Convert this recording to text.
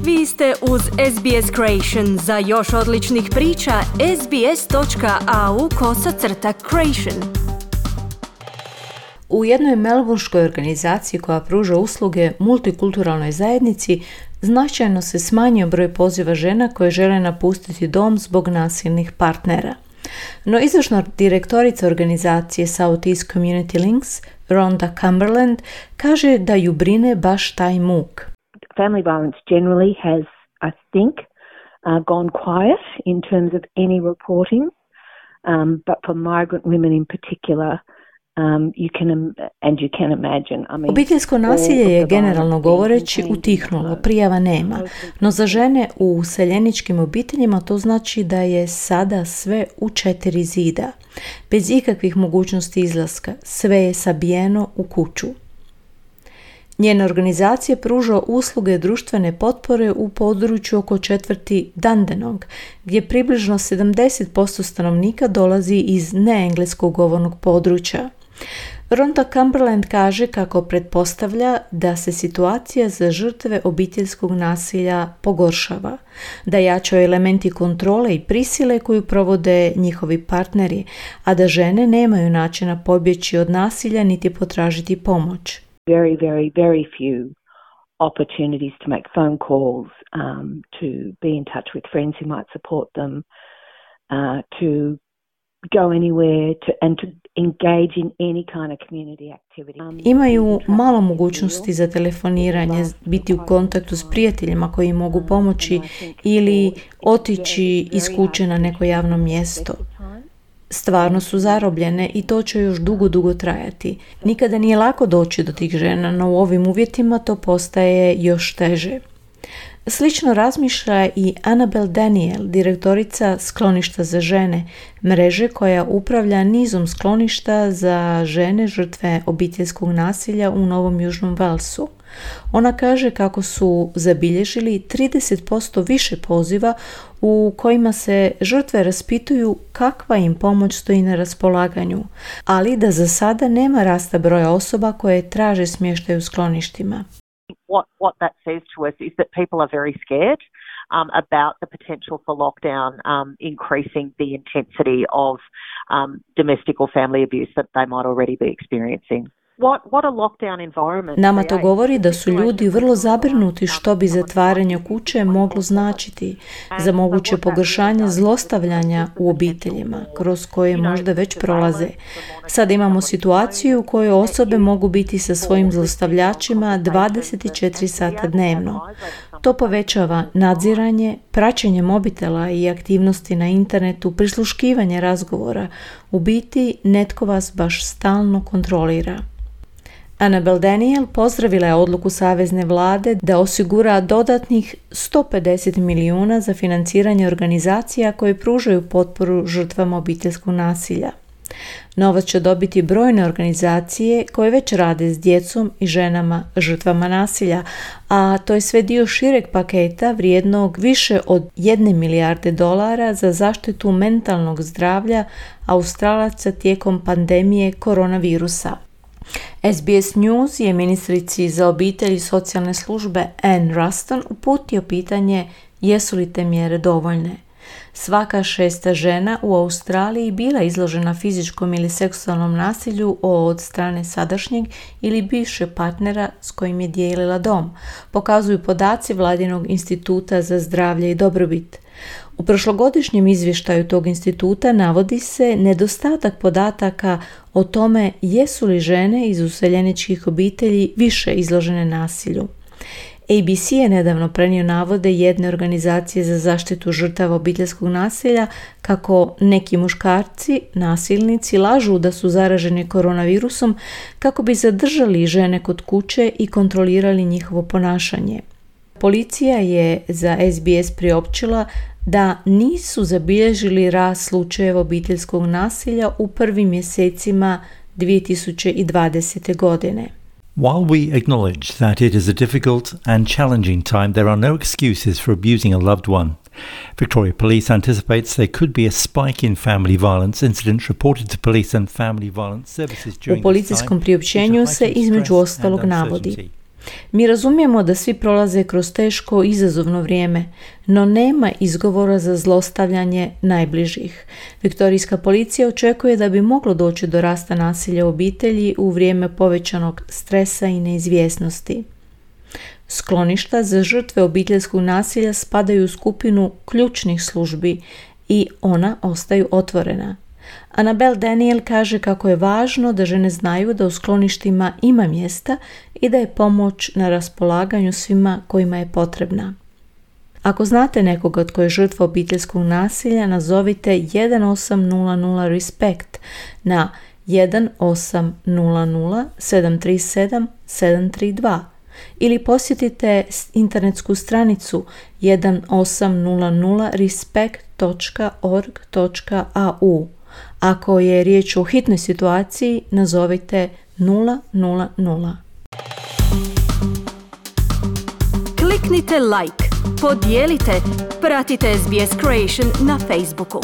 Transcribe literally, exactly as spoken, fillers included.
Vi ste uz S B S Creation. Za još odličnih priča, sbs.au kosacrta creation. U jednoj melbourneškoj organizaciji koja pruža usluge multikulturalnoj zajednici značajno se smanjio broj poziva žena koje žele napustiti dom zbog nasilnih partnera. No izvršna direktorica organizacije South East Community Links, Rhonda Cumberland, kaže da ju brine baš taj muk. Family violence generally has, I think, uh, gone quiet in terms of any reporting, um, but for migrant women in particular, Um, you can, and you can imagine, I mean, obiteljsko nasilje je generalno govoreći utihnulo, prijava nema, no za žene u useljeničkim obiteljima to znači da je sada sve u četiri zida, bez ikakvih mogućnosti izlaska, sve je sabijeno u kuću. Njena organizacija pruža usluge društvene potpore u području oko četvrti Dandenong, gdje približno sedamdeset posto stanovnika dolazi iz neengleskog govornog područja. Rhonda Cumberland kaže kako pretpostavlja da se situacija za žrtve obiteljskog nasilja pogoršava, da jačaju elementi kontrole i prisile koju provode njihovi partneri, a da žene nemaju načina pobjeći od nasilja niti potražiti pomoć. Very, very, very few opportunities to make phone calls, um, to be in touch with friends who might support them, uh, to go anywhere to, and to engage in any kind of community activity. Um, Imaju malo mogućnosti za telefoniranje, biti u kontaktu s prijateljima koji mogu pomoći ili otići iz kuće na neko javno mjesto. Stvarno su zarobljene i to će još dugo, dugo trajati. Nikada nije lako doći do tih žena, no u ovim uvjetima to postaje još teže. Slično razmišlja i Annabel Daniel, direktorica skloništa za žene, mreže koja upravlja nizom skloništa za žene žrtve obiteljskog nasilja u Novom Južnom Walesu. Ona kaže kako su zabilježili trideset posto više poziva u kojima se žrtve raspituju kakva im pomoć stoji na raspolaganju, ali da za sada nema rasta broja osoba koje traže smještaj u skloništima. What, what that says to us is that people are very scared um, about the potential for lockdown um, increasing the intensity of um, domestic or family abuse that they might already be experiencing. What, what a lockdown environment. Nama to govori da su ljudi vrlo zabrinuti što bi zatvaranje kuće moglo značiti za moguće pogoršanje zlostavljanja u obiteljima, kroz koje možda već prolaze. Sad imamo situaciju u kojoj osobe mogu biti sa svojim zlostavljačima dvadeset četiri sata dnevno. To povećava nadziranje, praćenje mobitela i aktivnosti na internetu, prisluškivanje razgovora. U biti, netko vas baš stalno kontrolira. Annabel Daniel pozdravila je odluku savezne vlade da osigura dodatnih sto pedeset milijuna za financiranje organizacija koje pružaju potporu žrtvama obiteljskog nasilja. Novac će dobiti brojne organizacije koje već rade s djecom i ženama žrtvama nasilja, a to je sve dio šireg paketa vrijednog više od jedne milijarde dolara za zaštitu mentalnog zdravlja Australaca tijekom pandemije koronavirusa. S B S News je ministrici za obitelj i socijalne službe Anne Ruston uputio pitanje jesu li te mjere dovoljne. Svaka šesta žena u Australiji bila izložena fizičkom ili seksualnom nasilju od strane sadašnjeg ili bivšeg partnera s kojim je dijelila dom, pokazuju podaci Vladinog instituta za zdravlje i dobrobit. U prošlogodišnjem izvještaju tog instituta navodi se nedostatak podataka o tome jesu li žene iz useljeničkih obitelji više izložene nasilju. A B C je nedavno prenio navode jedne organizacije za zaštitu žrtava obiteljskog nasilja kako neki muškarci, nasilnici, lažu da su zaraženi koronavirusom kako bi zadržali žene kod kuće i kontrolirali njihovo ponašanje. Policija je za S B S priopćila da nisu zabilježili rast slučajeva obiteljskog nasilja u prvim mjesecima dvije tisuće dvadesete. godine. While we acknowledge that it is a difficult and challenging time, there are no excuses for abusing a loved one. Victoria Police anticipates there could be a spike in family violence incidents reported to police and family violence services during U policijskom priopćenju se između ostalog navodi: Mi razumijemo da svi prolaze kroz teško i izazovno vrijeme, no nema izgovora za zlostavljanje najbližih. Viktorijska policija očekuje da bi moglo doći do rasta nasilja u obitelji u vrijeme povećanog stresa i neizvjesnosti. Skloništa za žrtve obiteljskog nasilja spadaju u skupinu ključnih službi i ona ostaju otvorena. Annabelle Daniel kaže kako je važno da žene znaju da u skloništima ima mjesta i da je pomoć na raspolaganju svima kojima je potrebna. Ako znate nekoga tko je žrtva obiteljskog nasilja, nazovite jedan osam nula nula respekt na jedan osam nula nula sedam tri sedam sedam tri dva ili posjetite internetsku stranicu jedan osam nula nula respekt točka org točka a u. Ako je riječ o hitnoj situaciji, nazovite nula nula nula. Kliknite like, podijelite, pratite S B S Creation na Facebooku.